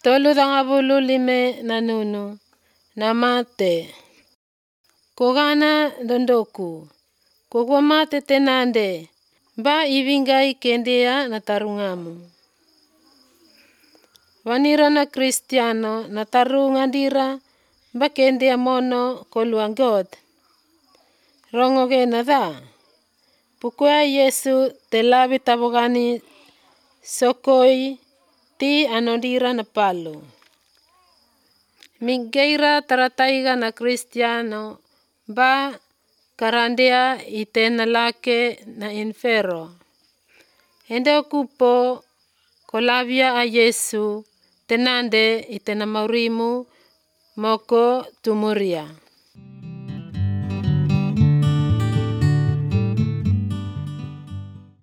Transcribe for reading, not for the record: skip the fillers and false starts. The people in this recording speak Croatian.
35 namate. Kogana dondoku. Kogwamate tenande. Ba ivingai kendea natarungamu. Wanira na Kristiano natarungandira ba kendea mono koluangot. Rongoge nada. Pukua Yesu telabi tabogani sokoi ti anodira na palo. Migeira tarataiga na Kristiano ba karandea itenalake na infero. Ende okupo kolabia a Yesu tenande itenamaurimu moko tumuria.